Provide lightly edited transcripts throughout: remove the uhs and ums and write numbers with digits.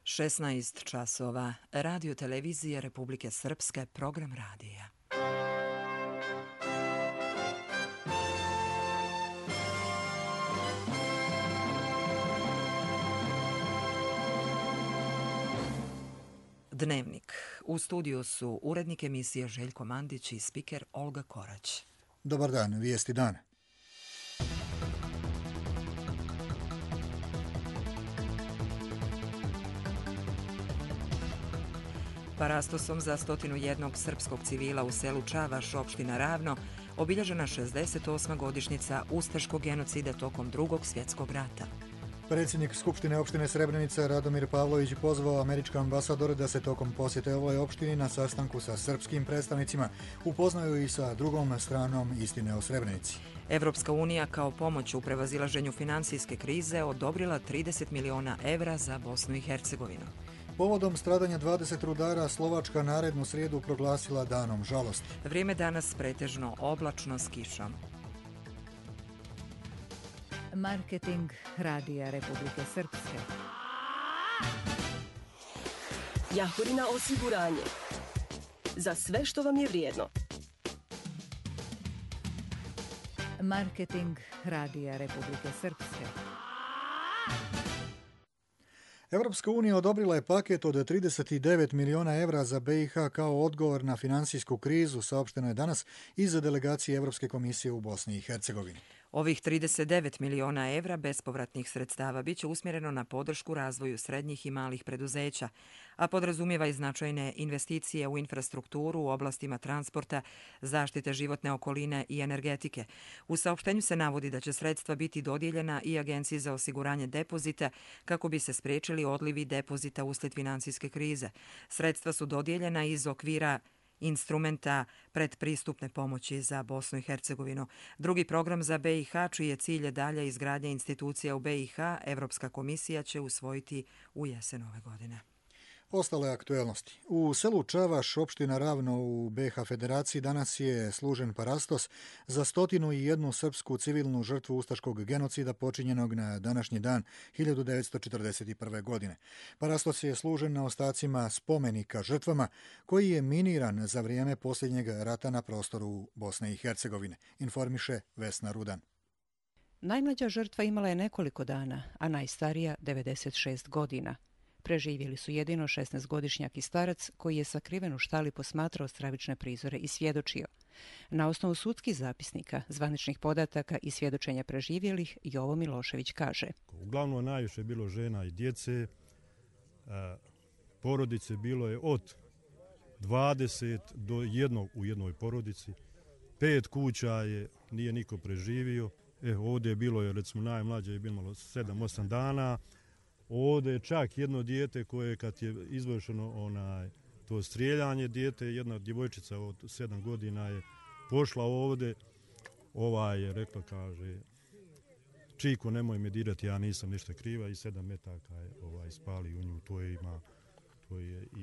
16 časova. Radio televizije Republike Srpske, program radija. Dnevnik. U studiju su urednik emisije Željko Mandić i spiker Olga Korać. Dobar dan, vijesti dana. Parastosom za 101 srpskog civila u selu Čavaš, opština Ravno, obilježena 68. godišnjica ustaškog genocida tokom Drugog svjetskog rata. Predsjednik Skupštine opštine Srebrenica Radomir Pavlović pozvao američke ambasadore da se tokom posjete ovoj opštini na sastanku sa srpskim predstavnicima upoznaju i sa drugom stranom istine o Srebrenici. Evropska unija kao pomoć u prevazilaženju finansijske krize odobrila 30 miliona evra za Bosnu i Hercegovinu. Povodom stradanja 20 rudara Slovačka narednu srijedu proglasila danom žalosti. Vrijeme danas pretežno oblačno s kišom. Marketing Radija Republike Srpske. Jahorina osiguranje. Za sve što vam je vrijedno. Marketing Radija Republike Srpske. Europska unija odobrila je paket od 39 miliona evra za BiH kao odgovor na finansijsku krizu, saopšteno je danas iz delegacije Europske komisije u Bosni i Hercegovini. Ovih 39 miliona evra bespovratnih sredstava biće usmjereno na podršku razvoju srednjih i malih preduzeća, a podrazumijeva i značajne investicije u infrastrukturu u oblastima transporta, zaštite životne okoline i energetike. U saopštenju se navodi da će sredstva biti dodijeljena i Agenciji za osiguranje depozita kako bi se spriječili odlivi depozita uslijed finansijske krize. Sredstva su dodijeljena iz okvira instrumenta predpristupne pomoći za Bosnu i Hercegovinu. Drugi program za BiH, čiji je cilj dalja izgradnja institucija u BiH, Evropska komisija će usvojiti u jesen ove godine. Ostale aktuelnosti. U selu Čavaš, opština Ravno u BiH Federaciji, danas je služen parastos za 101 srpsku civilnu žrtvu ustaškog genocida počinjenog na današnji dan 1941. godine. Parastos je služen na ostacima spomenika žrtvama koji je miniran za vrijeme posljednjeg rata na prostoru Bosne i Hercegovine, informiše Vesna Rudan. Najmlađa žrtva imala je nekoliko dana, a najstarija 96 godina. Preživjeli su jedino 16-godišnjak i starac koji je sakriven u štali posmatrao stravične prizore i svjedočio. Na osnovu sudskih zapisnika, zvaničnih podataka i svjedočenja preživjelih, Jovo Milošević kaže: Uglavnom najviše je bilo žena i djece, porodice bilo je od 20 do 1 u jednoj porodici, 5 kuća nije niko preživio. Ovdje je bilo, recimo najmlađe je bilo 7-8 dana. Ovdje je čak jedno dijete koje kad je izvršeno to strijeljanje, jedna djevojčica od 7 godina je pošla ovdje, je rekla, kaže, Čiko nemoj me dirati, ja nisam ništa kriva, i 7 metaka je spali u nju, to je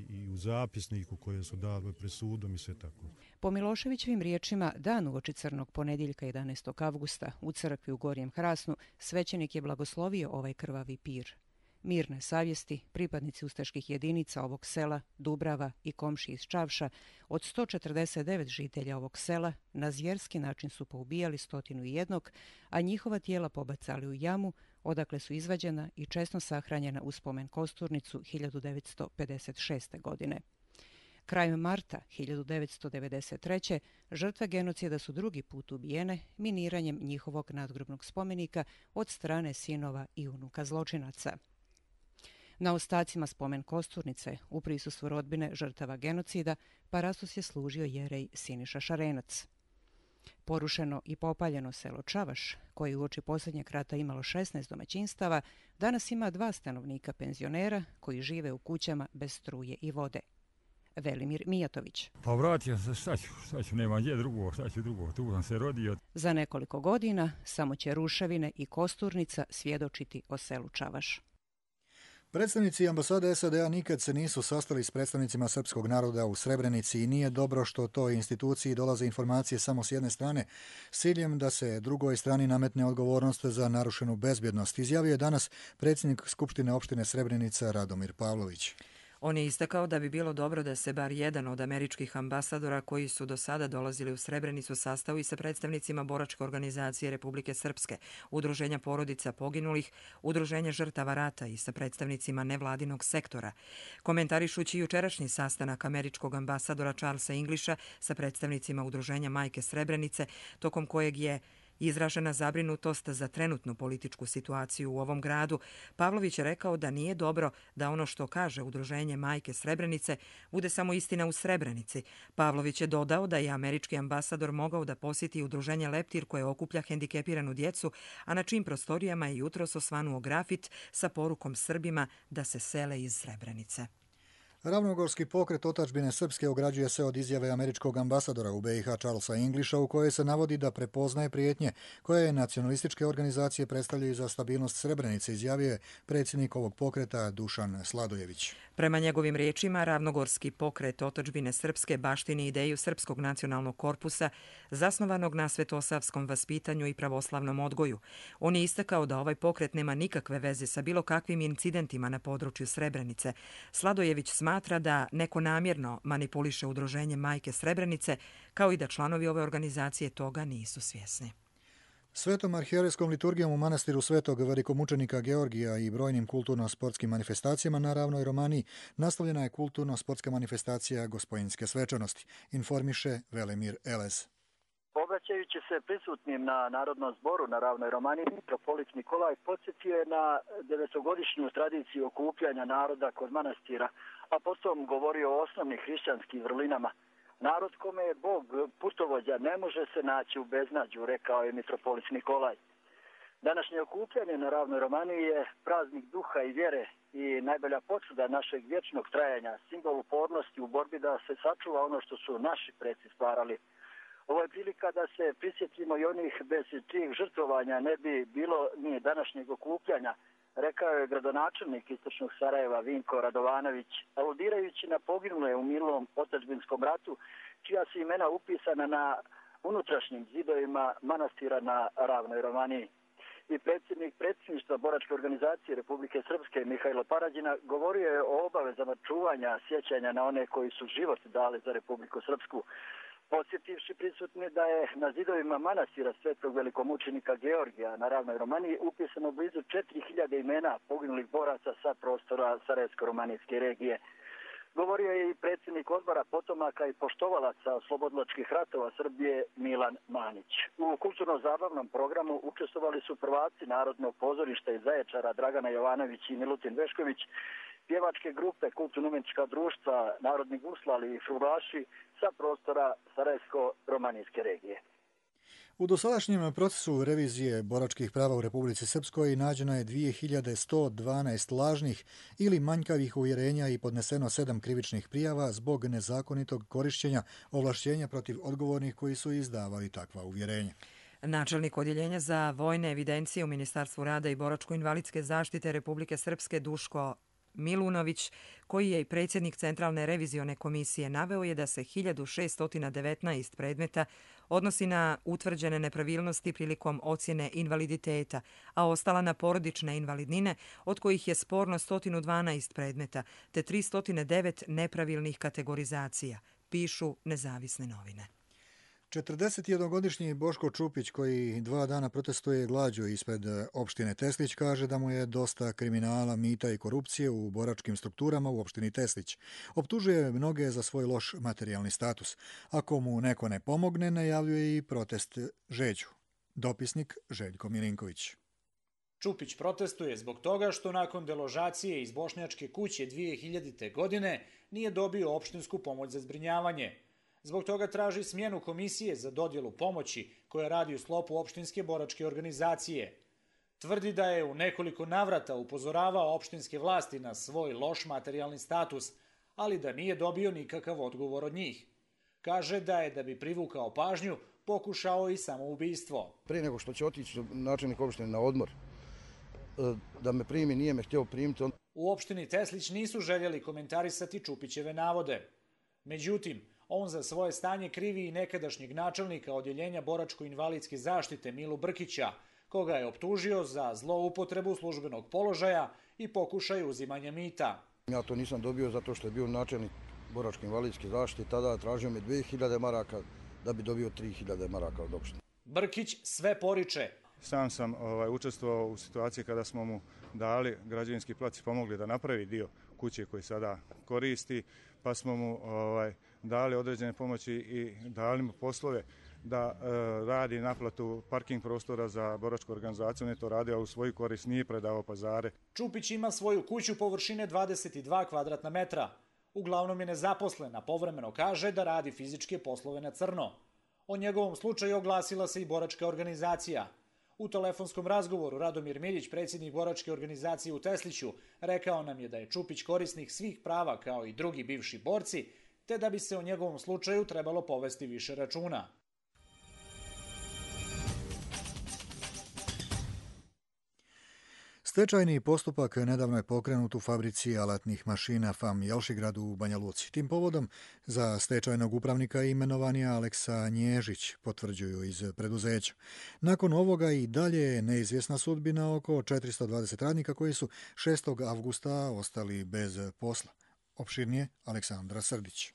i u zapisniku koje su dali pred sudom i sve tako. Po Miloševićevim riječima, dan uoči crnog ponedjeljka 11. avgusta u crkvi u Gornjem Hrasnu svećenik je blagoslovio ovaj krvavi pir. Mirne savjesti, pripadnici ustaških jedinica ovog sela, Dubrava i komši iz Čavša, od 149 žitelja ovog sela, na zvjerski način su poubijali 101, a njihova tijela pobacali u jamu, odakle su izvađena i česno sahranjena u spomen kosturnicu 1956. godine. Krajem marta 1993. žrtve genocida su drugi put ubijene miniranjem njihovog nadgrobnog spomenika od strane sinova i unuka zločinaca. Na ostacima spomen kosturnice, u prisustvu rodbine žrtava genocida, parastos je služio jerej Siniša Šarenac. Porušeno i popaljeno selo Čavaš, koje uoči posljednjeg rata imalo 16 domaćinstava, danas ima 2 stanovnika penzionera koji žive u kućama bez struje i vode. Velimir Mijatović. Pa vratio se, šta ću, nema gdje drugo, tu sam se rodio. Za nekoliko godina samo će ruševine i kosturnica svjedočiti o selu Čavaš. Predstavnici ambasade SAD-a nikad se nisu sastali s predstavnicima srpskog naroda u Srebrenici i nije dobro što toj instituciji dolaze informacije samo s jedne strane s ciljem da se drugoj strani nametne odgovornost za narušenu bezbjednost, izjavio je danas predsjednik Skupštine opštine Srebrenica Radomir Pavlović. On je istakao da bi bilo dobro da se bar jedan od američkih ambasadora koji su do sada dolazili u Srebrenicu sastavi sa predstavnicima Boračke organizacije Republike Srpske, Udruženja porodica poginulih, Udruženja žrtava rata i sa predstavnicima nevladinog sektora. Komentarišući jučerašnji sastanak američkog ambasadora Charlesa Englisha sa predstavnicima Udruženja Majke Srebrenice, tokom kojeg je izražena zabrinutost za trenutnu političku situaciju u ovom gradu, Pavlović je rekao da nije dobro da ono što kaže Udruženje Majke Srebrenice bude samo istina u Srebrenici. Pavlović je dodao da je američki ambasador mogao da posjeti Udruženje Leptir koje okuplja hendikepiranu djecu, a na čijim prostorijama je jutros osvanuo grafit sa porukom Srbima da se sele iz Srebrenice. Ravnogorski pokret otadžbine srpske ograđuje se od izjave američkog ambasadora u BiH Charlesa Englisha u kojoj se navodi da prepoznaje prijetnje koje nacionalističke organizacije predstavljaju za stabilnost Srebrenice, izjavio je predsjednik ovog pokreta Dušan Sladojević. Prema njegovim riječima, Ravnogorski pokret otadžbine srpske baštini ideju Srpskog nacionalnog korpusa zasnovanog na svetosavskom vaspitanju i pravoslavnom odgoju. On je istakao da ovaj pokret nema nikakve veze sa bilo kakvim incidentima na području Srebrenice. Sladojević smatra da neko namjerno manipuliše Udruženje Majke Srebrenice, kao i da članovi ove organizacije toga nisu svjesni. Svetom arhijerejskom liturgijom u manastiru Svetog velikomučenika Georgija i brojnim kulturno-sportskim manifestacijama na Ravnoj Romaniji nastavljena je kulturno-sportska manifestacija Gospojinske svečanosti, informiše Velemir Elez. Obraćajući se prisutnim na Narodnom zboru na Ravnoj Romaniji, mitropolit Nikolaj podsjetio je na 900-godišnju tradiciju okupljanja naroda kod manastira, a potom govorio o osnovnim hrišćanskim vrlinama. Narod kome je Bog putovođa ne može se naći u beznađu, rekao je mitropolit Nikolaj. Današnje okupljanje na Ravnoj Romaniji je praznik duha i vjere i najbolja potvrda našeg vječnog trajanja, simbol upornosti u borbi da se sačuva ono što su naši preci stvarali. Ovo je prilika da se prisjetimo i onih bez čijih žrtvovanja ne bi bilo ni današnjeg okupljanja, rekao je gradonačelnik istočnog Sarajeva Vinko Radovanović, aludirajući na poginule u milom otadžbinskom ratu, čija su imena upisana na unutrašnjim zidovima manastira na Ravnoj Romaniji. I predsjednik predsjedništva Boračke organizacije Republike Srpske Mihajlo Parađina govorio je o obavezama čuvanja sjećanja na one koji su život dali za Republiku Srpsku, podsjetivši prisutni da je na zidovima manastira Svetog velikomučenika Georgija na Ravnoj Romaniji upisano blizu 4000 imena poginulih boraca sa prostora Sarajevsko-romanijske regije. Govorio je i predsjednik odbora potomaka i poštovalaca oslobodilačkih ratova Srbije Milan Manić. U kulturno-zabavnom programu učestvovali su prvaci Narodnog pozorišta iz Zaječara Dragana Jovanović i Milutin Vešković, pjevačke grupe, kulturno-umjetnička društva, narodni guslali i frulaši sa prostora Sarajevsko-romanijske regije. U dosadašnjem procesu revizije boračkih prava u Republici Srpskoj nađeno je 2112 lažnih ili manjkavih uvjerenja i podneseno 7 krivičnih prijava zbog nezakonitog korišćenja ovlašćenja protiv odgovornih koji su izdavali takva uvjerenja. Načelnik Odjeljenja za vojne evidencije u Ministarstvu rada i boračko-invalidske zaštite Republike Srpske Duško Milunović, koji je i predsjednik Centralne revizione komisije, naveo je da se 1619 predmeta odnosi na utvrđene nepravilnosti prilikom ocjene invaliditeta, a ostala na porodične invalidnine, od kojih je sporno 112 predmeta, te 309 nepravilnih kategorizacija, pišu nezavisne novine. 41-godišnji Boško Čupić, koji 2 dana protestuje glađu ispred opštine Teslić, kaže da mu je dosta kriminala, mita i korupcije u boračkim strukturama u opštini Teslić. Optužuje mnoge za svoj loš materijalni status. Ako mu neko ne pomogne, najavljuje i protest žeđu. Dopisnik Željko Milinković. Čupić protestuje zbog toga što nakon deložacije iz Bošnjačke kuće 2000. godine nije dobio opštinsku pomoć za zbrinjavanje. Zbog toga traži smjenu komisije za dodjelu pomoći koja radi u sklopu opštinske boračke organizacije. Tvrdi da je u nekoliko navrata upozoravao opštinske vlasti na svoj loš materijalni status, ali da nije dobio nikakav odgovor od njih. Kaže da bi privukao pažnju, pokušao i samoubistvo. Prije nego što će otići načelnik opštine na odmor, da me primi, nije me htio primiti. U opštini Teslić nisu željeli komentarisati Čupićeve navode. Međutim, on za svoje stanje krivi i nekadašnjeg načelnika odjeljenja boračko-invalidske zaštite Milu Brkića, koga je optužio za zloupotrebu službenog položaja i pokušaj uzimanja mita. Ja to nisam dobio zato što je bio načelnik boračko-invalidske zaštite, tada tražio mi 2000 maraka da bi dobio 3000 maraka od opštine. Brkić sve poriče. Sam sam učestvovao u situaciji kada smo mu dali građevinski plac i pomogli da napravi dio kuće koji sada koristi, pa smo mu dali određene pomoći i dali mu poslove da radi naplatu parking prostora za boračku organizaciju. On je to radio u svoju korist, nije predavao pazare. Čupić ima svoju kuću površine 22 kvadratna metra. Uglavnom je nezaposlen, a povremeno kaže da radi fizičke poslove na crno. O njegovom slučaju oglasila se i boračka organizacija. U telefonskom razgovoru Radomir Miljić, predsjednik boračke organizacije u Tesliću, rekao nam je da je Čupić korisnik svih prava kao i drugi bivši borci, te da bi se o njegovom slučaju trebalo povesti više računa. Stečajni postupak nedavno je pokrenut u fabrici alatnih mašina FAM Jelšigrad u Banja Luci. Tim povodom za stečajnog upravnika imenovan je Aleksa Nježić, potvrđuju iz preduzeća. Nakon ovoga i dalje je neizvjesna sudbina oko 420 radnika koji su 6. avgusta ostali bez posla. Opširnije Aleksandra Srdić.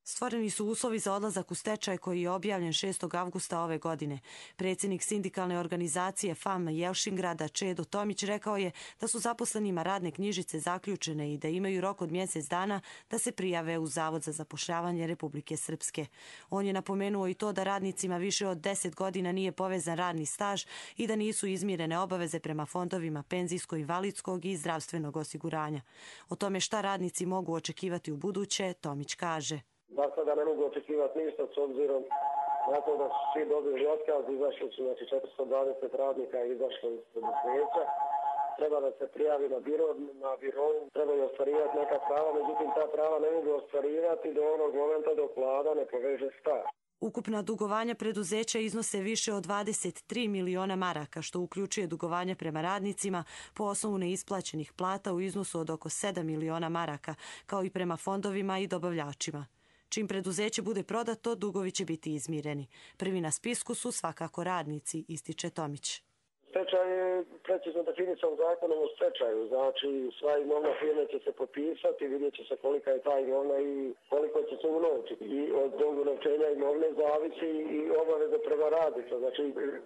Stvoreni su uslovi za odlazak u stečaj koji je objavljen 6. avgusta ove godine. Predsjednik sindikalne organizacije FAM Jelšingrada Čedo Tomić rekao je da su zaposlenima radne knjižice zaključene i da imaju rok od mjesec dana da se prijave u Zavod za zapošljavanje Republike Srpske. On je napomenuo i to da radnicima više od 10 godina nije povezan radni staž i da nisu izmirene obaveze prema fondovima penzijsko-invalidskog i zdravstvenog osiguranja. O tome šta radnici mogu očekivati u buduće, Tomić kaže. Da sada ne mogu očekivati ništa s obzirom na to da su svi dobili otkaz, izašli su 420 radnika izašli iz preduzeća. Treba da se prijavi na biro, trebaju ostvarivati neka prava, međutim ta prava ne mogu ostvarivati do onog momenta dok vlada ne poveže staž. Ukupna dugovanja preduzeća iznose više od 23 miliona maraka, što uključuje dugovanja prema radnicima po osnovu neisplaćenih plata u iznosu od oko 7 miliona maraka, kao i prema fondovima i dobavljačima. Čim preduzeće bude prodato, dugovi će biti izmireni. Prvi na spisku su svakako radnici, ističe Tomić. Stečaj je precizno definisan zakonom o stečaju, znači sva imovna firme će se potpisati, vidjet će se kolika je ta imovna i koliko će se unovčiti. I od unovčenja imovne zavisi i obaveze prema radnicima, znači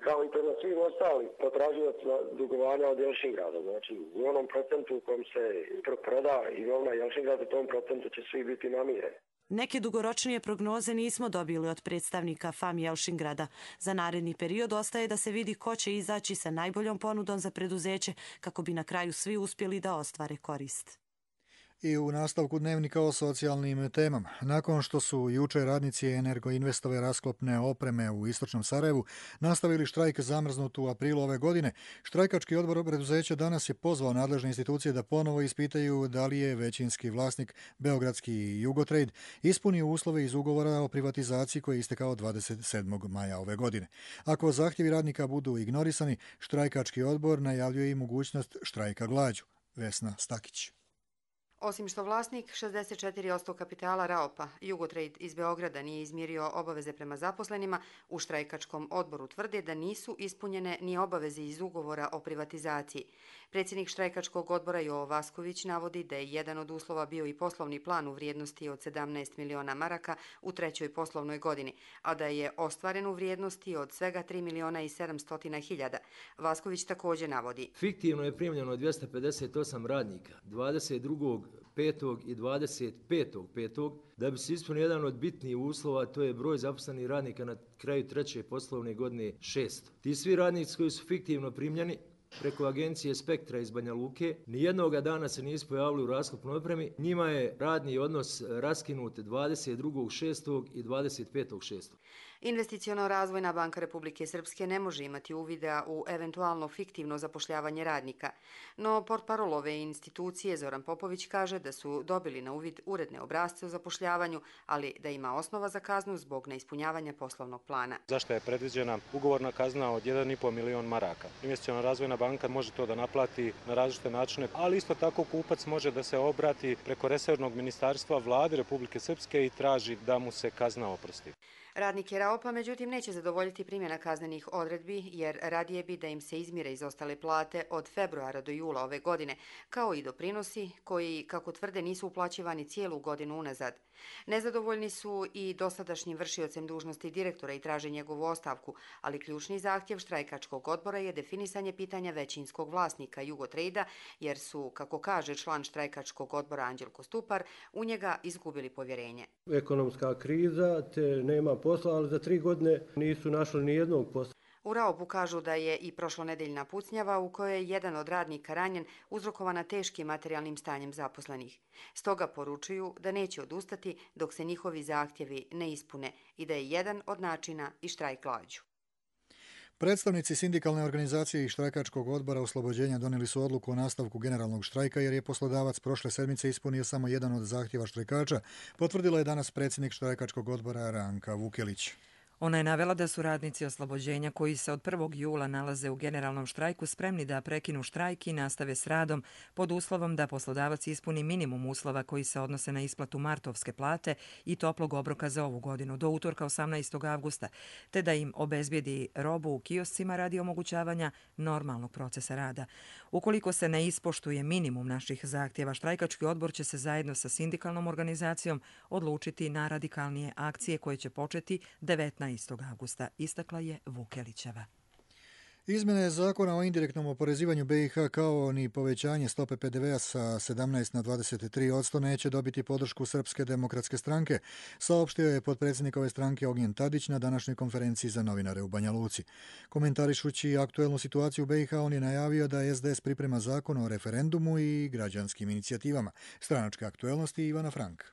kao i prema svim ostalim potraživacima dugovanja od Jelšingrada. Znači u onom procentu u kojem se proda imovna Jelšingrada, u tom procentu će svi biti namireni. Neke dugoročnije prognoze nismo dobili od predstavnika FAM Jelšingrada. Za naredni period ostaje da se vidi ko će izaći sa najboljom ponudom za preduzeće kako bi na kraju svi uspjeli da ostvare korist. I u nastavku dnevnika o socijalnim temama. Nakon što su jučer radnici Energoinvestove rasklopne opreme u istočnom Sarajevu nastavili štrajk zamrznut u aprilu ove godine, štrajkački odbor preduzeća danas je pozvao nadležne institucije da ponovo ispitaju da li je većinski vlasnik Beogradski Jugotrade ispunio uslove iz ugovora o privatizaciji koji je istekao 27. maja ove godine. Ako zahtjevi radnika budu ignorisani, štrajkački odbor najavljuje i mogućnost štrajka glađu. Vesna Stakić. Osim što vlasnik 64% kapitala Raopa, Jugotrade iz Beograda nije izmirio obaveze prema zaposlenima, u štrajkačkom odboru tvrde da nisu ispunjene ni obaveze iz ugovora o privatizaciji. Predsjednik štrajkačkog odbora Jovo Vasković navodi da je jedan od uslova bio i poslovni plan u vrijednosti od 17 miliona maraka u trećoj poslovnoj godini, a da je ostvaren u vrijednosti od svega 3 miliona i 700 hiljada. Vasković također navodi. Fiktivno je primljeno 258 radnika, 22.5. i 25.5. da bi se ispunio jedan od bitnijih uslova, to je broj zaposlenih radnika na kraju treće poslovne godine 600. Ti svi radnici koji su fiktivno primljeni preko agencije Spektra iz Banja Luke, nijednoga dana se nisu pojavili u rasklopnoj opremi. Njima je radni odnos raskinut 22.6. i 25.6. Investiciono razvojna banka Republike Srpske ne može imati uvida u eventualno fiktivno zapošljavanje radnika, no portparol ove institucije Zoran Popović kaže da su dobili na uvid uredne obrasce o zapošljavanju, ali da ima osnova za kaznu zbog neispunjavanja poslovnog plana. Zašto je predviđena ugovorna kazna od 1,5 milion maraka? Investiciono razvojna banka može to da naplati na različite načine, ali isto tako kupac može da se obrati preko resornog ministarstva Vlade Republike Srpske i traži da mu se kazna oprosti. Radnike RAOP-a međutim neće zadovoljiti primjena kaznenih odredbi jer radije bi da im se izmire izostale plate od februara do jula ove godine, kao i doprinosi koji, kako tvrde, nisu uplaćivani cijelu godinu unazad. Nezadovoljni su i dosadašnjim vršiocem dužnosti direktora i traže njegovu ostavku, ali ključni zahtjev štrajkačkog odbora je definisanje pitanja većinskog vlasnika Jugotrade-a, jer su, kako kaže član štrajkačkog odbora Anđelko Stupar, u njega izgubili povjerenje. Ekonomska kriza, te nema posla, ali za 3 godine nisu našli ni jednog posla. U RAOP-u kažu da je i prošlonedeljna pucnjava u kojoj je jedan od radnika ranjen uzrokovana teškim materijalnim stanjem zaposlenih. Stoga poručuju da neće odustati dok se njihovi zahtjevi ne ispune i da je jedan od načina i štrajk glađu. Predstavnici sindikalne organizacije i štrajkačkog odbora oslobođenja donijeli su odluku o nastavku generalnog štrajka jer je poslodavac prošle sedmice ispunio samo jedan od zahtjeva štrajkača, potvrdila je danas predsjednik štrajkačkog odbora Ranka Vukelić. Ona je navela da su radnici oslobođenja koji se od 1. jula nalaze u generalnom štrajku spremni da prekinu štrajk i nastave s radom pod uslovom da poslodavac ispuni minimum uslova koji se odnose na isplatu martovske plate i toplog obroka za ovu godinu do utorka 18. avgusta, te da im obezbijedi robu u kioscima radi omogućavanja normalnog procesa rada. Ukoliko se ne ispoštuje minimum naših zahtjeva, štrajkački odbor će se zajedno sa sindikalnom organizacijom odlučiti na radikalnije akcije koje će početi 19. avgusta, istakla je Vukelićeva. Izmjene zakona o indirektnom oporezivanju BiH kao ni povećanje stope PDV-a sa 17 na 23% neće dobiti podršku Srpske demokratske stranke, saopštio je potpredsjednik ove stranke Ognjen Tadić na današnjoj konferenciji za novinare u Banja Luci. Komentarišući aktuelnu situaciju u BiH, on je najavio da SDS priprema zakon o referendumu i građanskim inicijativama. Stranačke aktuelnosti Ivana Frank.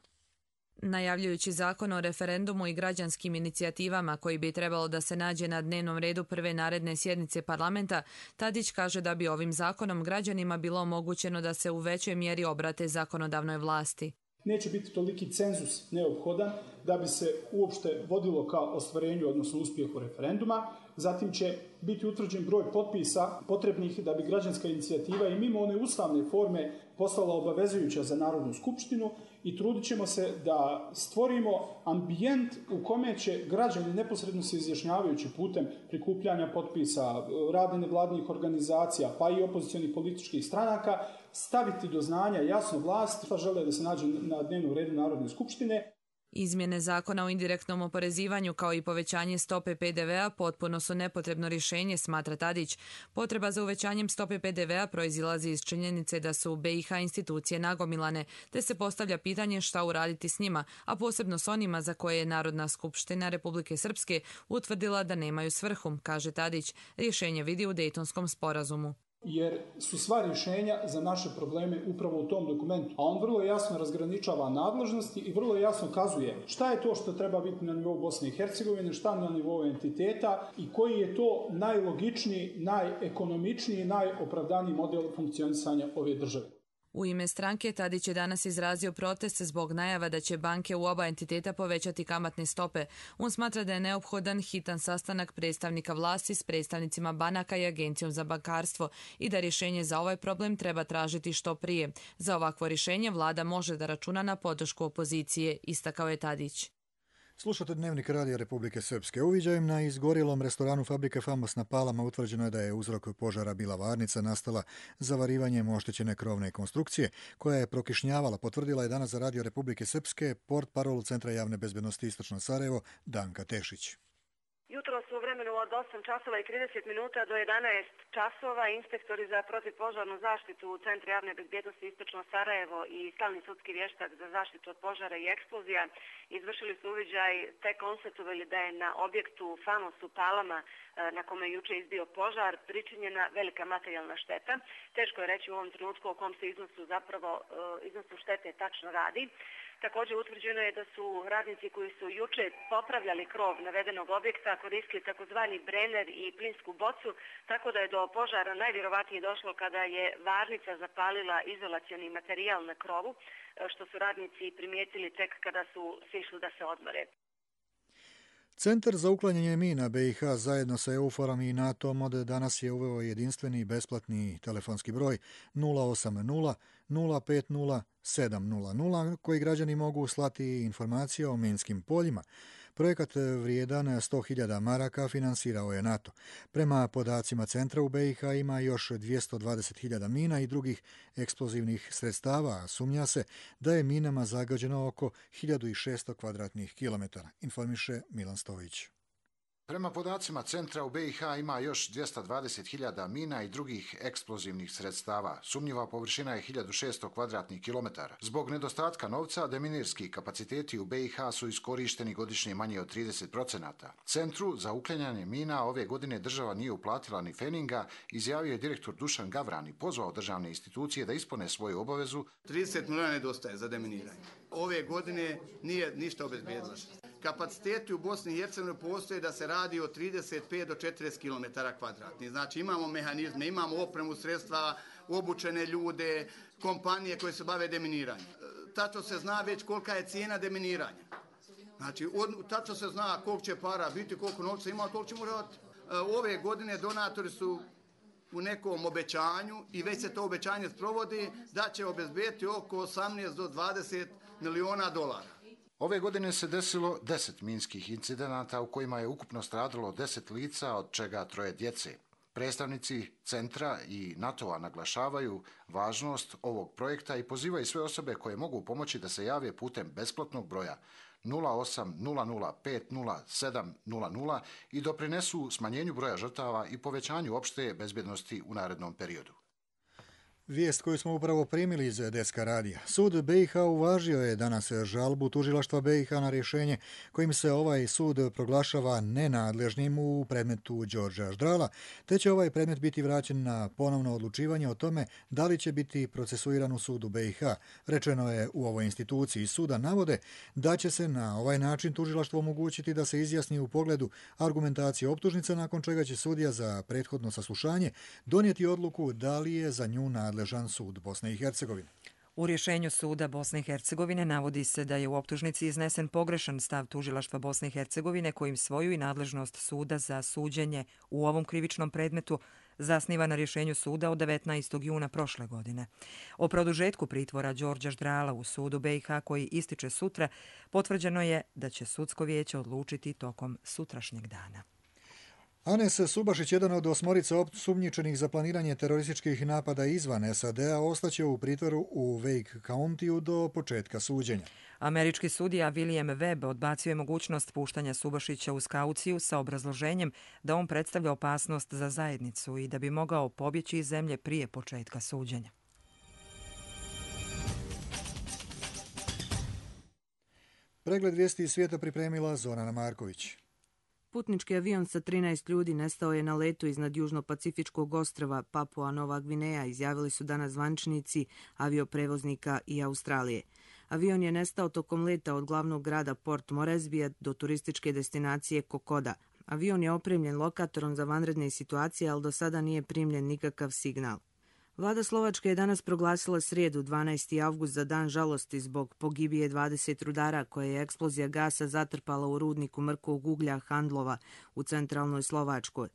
Najavljujući zakon o referendumu i građanskim inicijativama koji bi trebalo da se nađe na dnevnom redu prve naredne sjednice parlamenta, Tadić kaže da bi ovim zakonom građanima bilo omogućeno da se u većoj mjeri obrate zakonodavnoj vlasti. Neće biti toliki cenzus neophodan da bi se uopšte vodilo ka ostvarenju, odnosno uspjehu referenduma. Zatim će biti utvrđen broj potpisa potrebnih da bi građanska inicijativa i mimo one ustavne forme postala obavezujuća za Narodnu skupštinu i trudit ćemo se da stvorimo ambijent u kome će građani neposredno se izjašnjavajući putem prikupljanja potpisa, rada nevladinih organizacija pa i opozicionih političkih stranaka staviti do znanja jasno vlast šta žele da se nađe na dnevnom redu Narodne skupštine. Izmjene zakona o indirektnom oporezivanju kao i povećanje stope PDV-a potpuno su nepotrebno rješenje, smatra Tadić. Potreba za uvećanjem stope PDV-a proizilazi iz činjenice da su BiH institucije nagomilane, te se postavlja pitanje šta uraditi s njima, a posebno s onima za koje je Narodna skupština Republike Srpske utvrdila da nemaju svrhu, kaže Tadić. Rješenje vidi u Dejtonskom sporazumu. Jer su sva rješenja za naše probleme upravo u tom dokumentu. A on vrlo jasno razgraničava nadležnosti i vrlo jasno kazuje šta je to što treba biti na nivou Bosne i Hercegovine, šta na nivou entiteta i koji je to najlogičniji, najekonomičniji, najopravdaniji model funkcionisanja ove države. U ime stranke Tadić je danas izrazio protest zbog najava da će banke u oba entiteta povećati kamatne stope. On smatra da je neophodan hitan sastanak predstavnika vlasti s predstavnicima banaka i Agencijom za bankarstvo i da rješenje za ovaj problem treba tražiti što prije. Za ovakvo rješenje vlada može da računa na podršku opozicije, istakao je Tadić. Slušate Dnevnik radija Republike Srpske. Uviđajem na izgorjelom restoranu fabrike Famos na Palama utvrđeno je da je uzrok požara bila varnica nastala zavarivanjem oštećene krovne konstrukcije koja je prokišnjavala, potvrdila je danas za Radio Republike Srpske portparol Centra javne bezbednosti Istočno Sarajevo Danka Tešić. Jutros u vremenu od 8 časova i 30 minuta do 11 časova inspektori za protivpožarnu zaštitu u Centru javne bezbjednosti Istočno Sarajevo i stalni sudski vještak za zaštitu od požara i eksplozija izvršili su uviđaj te konstatovali da je na objektu Famos u Palama na kome je juče izbio požar pričinjena velika materijalna šteta. Teško je reći u ovom trenutku o kom se iznosu štete tačno radi. Također utvrđeno je da su radnici koji su juče popravljali krov navedenog objekta koristili takozvani brener i plinsku bocu, tako da je do požara najvjerovatnije došlo kada je varnica zapalila izolacioni materijal na krovu, što su radnici primijetili tek kada su sišli da se odmore. Centar za uklanjanje mina BiH zajedno sa EUFOR-om i NATO-om od danas je uveo jedinstveni besplatni telefonski broj 080 050 700 koji građani mogu slati informacije o minskim poljima. Projekat vrijedan 100.000 maraka finansirao je NATO. Prema podacima centra u BiH ima još 220.000 mina i drugih eksplozivnih sredstava, a sumnja se da je minama zagađeno oko 1600 kvadratnih kilometara, informiše Milan Stojić. Prema podacima centra u BiH ima još 220.000 mina i drugih eksplozivnih sredstava. Sumnjiva površina je 1600 kvadratnih kilometara. Zbog nedostatka novca, deminirski kapaciteti u BiH su iskorišteni godišnje manje od 30%. Centru za uklanjanje mina ove godine država nije uplatila ni feninga, izjavio je direktor Dušan Gavran i pozvao državne institucije da ispune svoju obavezu. 30 milijuna nedostaje za deminiranje. Ove godine nije ništa obezbijedilo. Kapaciteti u Bosni i Hercegovini postoje da se radi od 35 do 40 km kvadratnih. Znači imamo mehanizme, imamo opremu, sredstva, obučene ljude, kompanije koje se bave deminiranjem. Tačno se zna već kolika je cijena deminiranja. Znači tačno se zna koliko će para biti, koliko novca ima, koliko ćemo raditi. Ove godine donatori su u nekom obećanju i već se to obećanje sprovodi da će obezbijeti oko 18 do 20 milijuna dolara. Ove godine se desilo 10 minskih incidenata u kojima je ukupno stradalo 10 lica, od čega 3 djece. Predstavnici centra i NATO-a naglašavaju važnost ovog projekta i pozivaju sve osobe koje mogu pomoći da se jave putem besplatnog broja 0800500700 i doprinesu smanjenju broja žrtava i povećanju opšte bezbjednosti u narednom periodu. Vijest koju smo upravo primili iz Deska radija. Sud BiH uvažio je danas žalbu tužilaštva BiH na rješenje kojim se ovaj sud proglašava nenadležnim u predmetu Đorđa Ždrala, te će ovaj predmet biti vraćen na ponovno odlučivanje o tome da li će biti procesuiran u sudu BiH. Rečeno je u ovoj instituciji. Suda navode da će se na ovaj način tužilaštvo omogućiti da se izjasni u pogledu argumentacije optužnice, nakon čega će sudija za prethodno saslušanje donijeti odluku da li je za nju nadležan sud Bosne i Hercegovine. U rješenju suda Bosne i Hercegovine navodi se da je u optužnici iznesen pogrešan stav tužilaštva Bosne i Hercegovine kojim svoju i nadležnost suda za suđenje u ovom krivičnom predmetu zasniva na rješenju suda od 19. juna prošle godine. O produžetku pritvora Đorđa Ždrala u sudu BiH koji ističe sutra, potvrđeno je da će sudsko vijeće odlučiti tokom sutrašnjeg dana. Anes Subašić, jedan od 8 osumnjičenih za planiranje terorističkih napada izvan SAD-a, ostaće u pritvoru u Wake Countyu do početka suđenja. Američki sudija William Webb odbacio je mogućnost puštanja Subašića uz kauciju sa obrazloženjem da on predstavlja opasnost za zajednicu i da bi mogao pobjeći iz zemlje prije početka suđenja. Pregled vijesti iz svijeta pripremila Zorana Marković. Putnički avion sa 13 ljudi nestao je na letu iznad južno-pacifičkog ostrva Papua Nova Gvineja, izjavili su danas zvaničnici avioprevoznika i Australije. Avion je nestao tokom leta od glavnog grada Port Moresbija do turističke destinacije Kokoda. Avion je opremljen lokatorom za vanredne situacije, ali do sada nije primljen nikakav signal. Vlada Slovačke je danas proglasila srijedu 12. avgust za dan žalosti zbog pogibije 20 rudara koje je eksplozija gasa zatrpala u rudniku mrkog uglja Handlova u centralnoj Slovačkoj.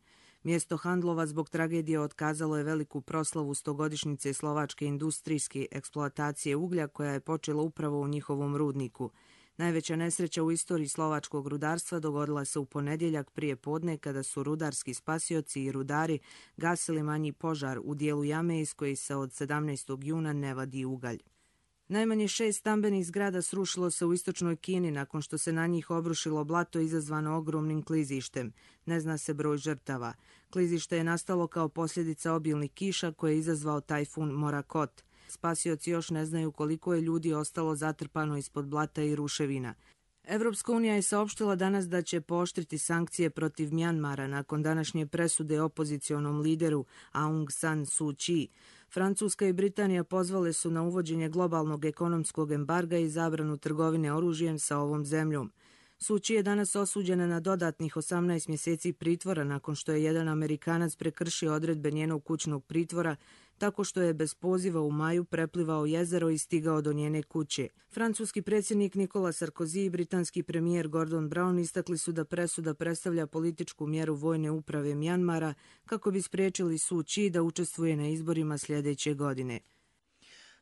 Mjesto Handlova zbog tragedije otkazalo je veliku proslavu 100-godišnjice slovačke industrijske eksploatacije uglja koja je počela upravo u njihovom rudniku. Najveća nesreća u istoriji slovačkog rudarstva dogodila se u ponedjeljak prije podne kada su rudarski spasioci i rudari gasili manji požar u dijelu jame iz koji se od 17. juna ne vadi ugalj. Najmanje 6 stambenih zgrada srušilo se u istočnoj Kini nakon što se na njih obrušilo blato izazvano ogromnim klizištem. Ne zna se broj žrtava. Klizište je nastalo kao posljedica obilnih kiša koje je izazvao tajfun Morakot. Spasioci još ne znaju koliko je ljudi ostalo zatrpano ispod blata i ruševina. Evropska unija je saopštila danas da će pooštriti sankcije protiv Mjanmara nakon današnje presude opozicionom lideru Aung San Suu Kyi. Francuska i Britanija pozvale su na uvođenje globalnog ekonomskog embarga i zabranu trgovine oružjem sa ovom zemljom. Suu Kyi je danas osuđena na dodatnih 18 mjeseci pritvora nakon što je jedan Amerikanac prekršio odredbe njenog kućnog pritvora tako što je bez poziva u maju preplivao jezero i stigao do njene kuće. Francuski predsjednik Nicolas Sarkozy i britanski premijer Gordon Brown istakli su da presuda predstavlja političku mjeru vojne uprave Mjanmara kako bi spriječili Suu Kyi da učestvuje na izborima sljedeće godine.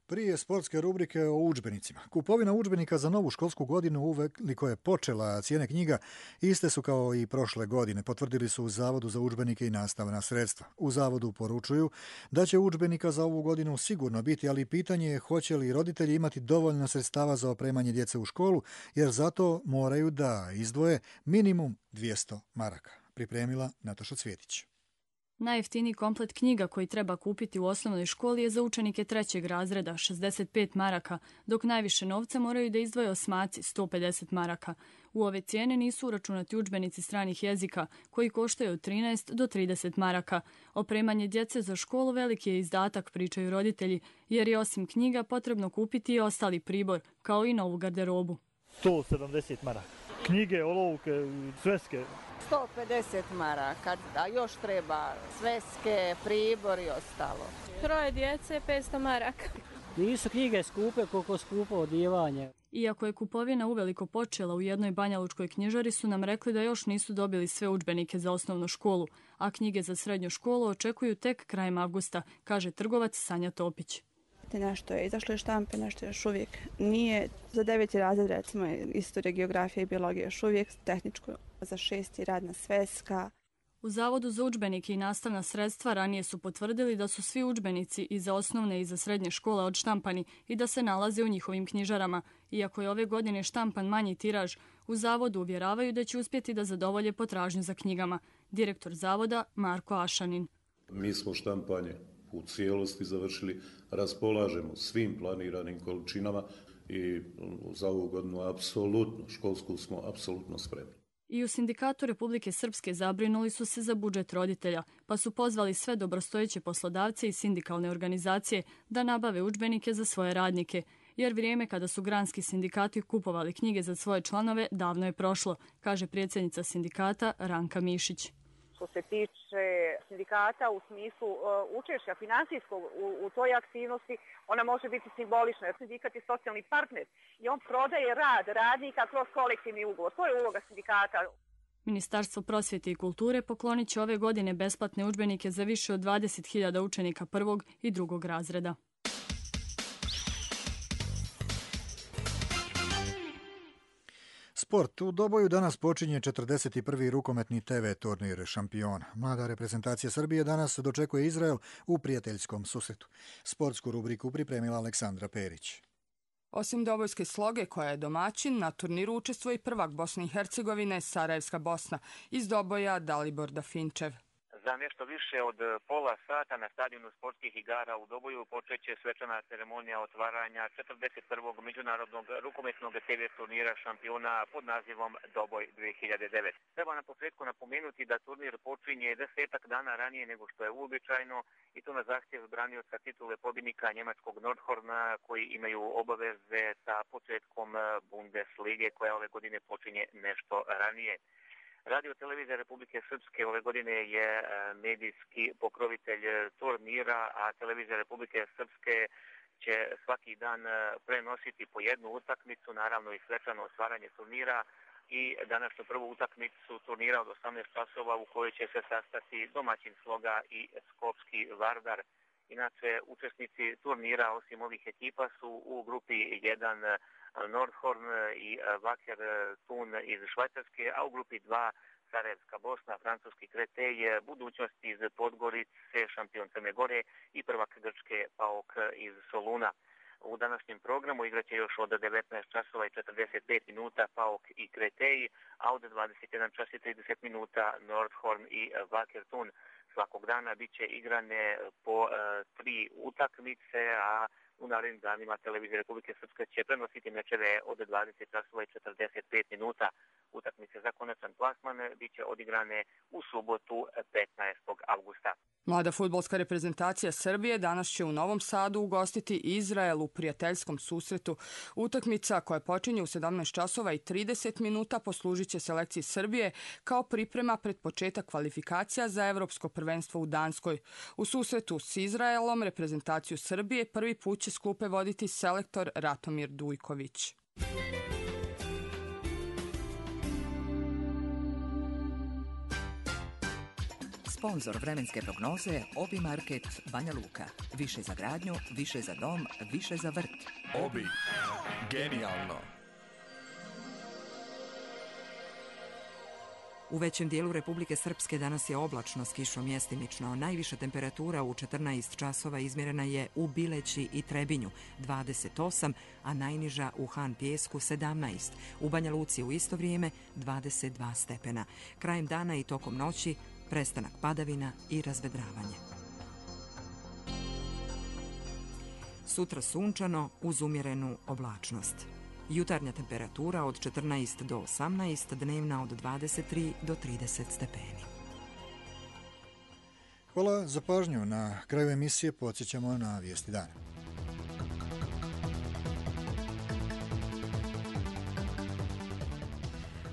Prije sportske rubrike o udžbenicima. Kupovina udžbenika za novu školsku godinu uveliko je počela, cijene knjiga iste su kao i prošle godine, potvrdili su u Zavodu za udžbenike i nastavna sredstva. U Zavodu poručuju da će udžbenika za ovu godinu sigurno biti, ali pitanje je hoće li roditelji imati dovoljno sredstava za opremanje djece u školu, jer zato moraju da izdvoje minimum 200 maraka. Pripremila Nataša Cvjetić. Najjeftiniji komplet knjiga koji treba kupiti u osnovnoj školi je za učenike 3. razreda, 65 maraka, dok najviše novca moraju da izdvoje osmaci, 150 maraka. U ove cijene nisu uračunati udžbenici stranih jezika, koji koštaju od 13 do 30 maraka. Opremanje djece za školu veliki je izdatak, pričaju roditelji, jer je osim knjiga potrebno kupiti i ostali pribor, kao i novu garderobu. 170 maraka. Knjige, olovke, sveske. 150 maraka, a još treba sveske, pribor i ostalo. 3 djece, 500 maraka. Nisu knjige skupe koliko skupo odijevanje. Iako je kupovina uveliko počela u jednoj banjalučkoj knjižari, su nam rekli da još nisu dobili sve udžbenike za osnovnu školu, a knjige za srednju školu očekuju tek krajem avgusta, kaže trgovac Sanja Topić. Nešto je izašlo iz štampe, nešto još uvijek nije. Za 9. razred, recimo, istorija, geografija i biologija još uvijek, tehničko za 6. radna sveska. U Zavodu za udžbenike i nastavna sredstva ranije su potvrdili da su svi udžbenici i za osnovne i za srednje škole odštampani i da se nalaze u njihovim knjižarama. Iako je ove godine štampan manji tiraž, u Zavodu uvjeravaju da će uspjeti da zadovolje potražnju za knjigama. Direktor Zavoda Marko Ašanin. Mi smo štampanje u cijelosti završili, raspolažemo svim planiranim količinama i za ovu godinu apsolutno, školsku smo apsolutno spremni. I u Sindikatu Republike Srpske zabrinuli su se za budžet roditelja, pa su pozvali sve dobrostojeće poslodavce i sindikalne organizacije da nabave udžbenike za svoje radnike, jer vrijeme kada su granski sindikati kupovali knjige za svoje članove davno je prošlo, kaže predsjednica sindikata Ranka Mišić. Što se tiče sindikata u smislu učešća finansijskog u toj aktivnosti, ona može biti simbolična, jer sindikat je socijalni partner i on prodaje rad radnika kroz kolektivni ugovor. To je uloga sindikata. Ministarstvo prosvjete i kulture poklonit će ove godine besplatne udžbenike za više od 20.000 učenika 1. i 2. razreda. Sport. U Doboju danas počinje 41. rukometni TV turnir šampiona. Mlada reprezentacija Srbije danas dočekuje Izrael u prijateljskom susretu. Sportsku rubriku pripremila Aleksandra Perić. Osim dobojske Sloge, koja je domaćin, na turniru učestvuje i prvak Bosne i Hercegovine, Sarajevska Bosna, iz Doboja Dalibor Dafinčev. Za nešto više od pola sata na stadionu sportskih igara u Doboju počeće svečana ceremonija otvaranja 41. međunarodnog rukometnog TV turnira šampiona pod nazivom Doboj 2009. Treba na početku napomenuti da turnir počinje 10 dana ranije nego što je uobičajeno i to na zahtjev branioca titule pobjednika njemačkog Nordhorna koji imaju obaveze sa početkom Bundeslige koja ove godine počinje nešto ranije. Radio televizija Republike Srpske ove godine je medijski pokrovitelj turnira, a televizija Republike Srpske će svaki dan prenositi po jednu utakmicu, naravno i svečano otvaranje turnira i današnju prvu utakmicu turnira od 18 časova u kojoj će se sastati domaćin Sloga i Skopski Vardar. Inače, učesnici turnira osim ovih ekipa su u grupi 1 Nordhorn i Wacker Thun iz Švajcarske, a u grupi 2 Sarajevska Bosna, francuski Kretej, budućnost iz Podgorice, šampion Crne Gore i prvak Grčke PAOK iz Soluna. U današnjem programu igraće još od 19 časova i 45 minuta PAOK i Kretej, a od 21 čas i 30 minuta Nordhorn i Wacker Thun. Svakog dana bit će igrane po 3 utakmice, a U narednim danima televizija Republike Srpske će prenositi mečeve od 20 časova i 45 minuta. Utakmice za konačan plasman biće odigrane u subotu 15. avgusta. Mlada fudbalska reprezentacija Srbije danas će u Novom Sadu ugostiti Izrael u prijateljskom susretu. Utakmica koja počinje u 17 časova i 30 minuta poslužit će selekciji Srbije kao priprema pred početak kvalifikacija za Evropsko prvenstvo u Danskoj. U susretu s Izraelom reprezentaciju Srbije prvi put će s klupe voditi selektor Ratomir Dujković. Sponzor vremenske prognoze Obi Market Banja Luka. Više za gradnju, više za dom, više za vrt. Obi. Genijalno. U većem dijelu Republike Srpske danas je oblačno s kišom mjestimično. Najviša temperatura u 14 časova izmjerena je u Bileći i Trebinju 28, a najniža u Han Pijesku 17. U Banja Luci u isto vrijeme 22 stepena. Krajem dana i tokom noći prestanak padavina i razvedravanje. Sutra sunčano uz umjerenu oblačnost. Jutarnja temperatura od 14 do 18, dnevna od 23 do 30 stepeni. Hvala za pažnju. Na kraju emisije podsjećamo na vijesti dana.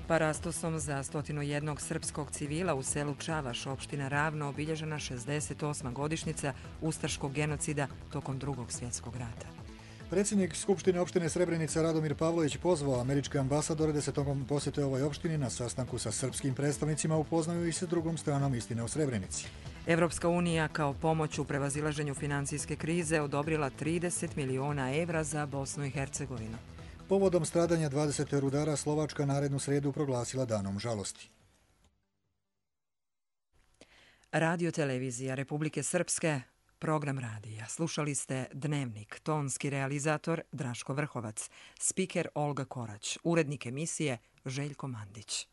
Parastosom za 101 srpskog civila u selu Čavaš, opština Ravno, obilježena 68. godišnjica ustaškog genocida tokom Drugog svjetskog rata. Predsjednik Skupštine opštine Srebrenica Radomir Pavlović pozvao američke ambasadore da se tokom posjete ovoj opštini na sastanku sa srpskim predstavnicima upoznaju i sa drugom stranom istine o Srebrenici. Evropska unija kao pomoć u prevazilaženju financijske krize odobrila 30 miliona evra za Bosnu i Hercegovinu. Povodom stradanja 20 rudara Slovačka narednu srijedu proglasila danom žalosti. Radio televizija Republike Srpske, program radija. Slušali ste Dnevnik, tonski realizator Draško Vrhovac, spiker Olga Korać, urednik emisije Željko Mandić.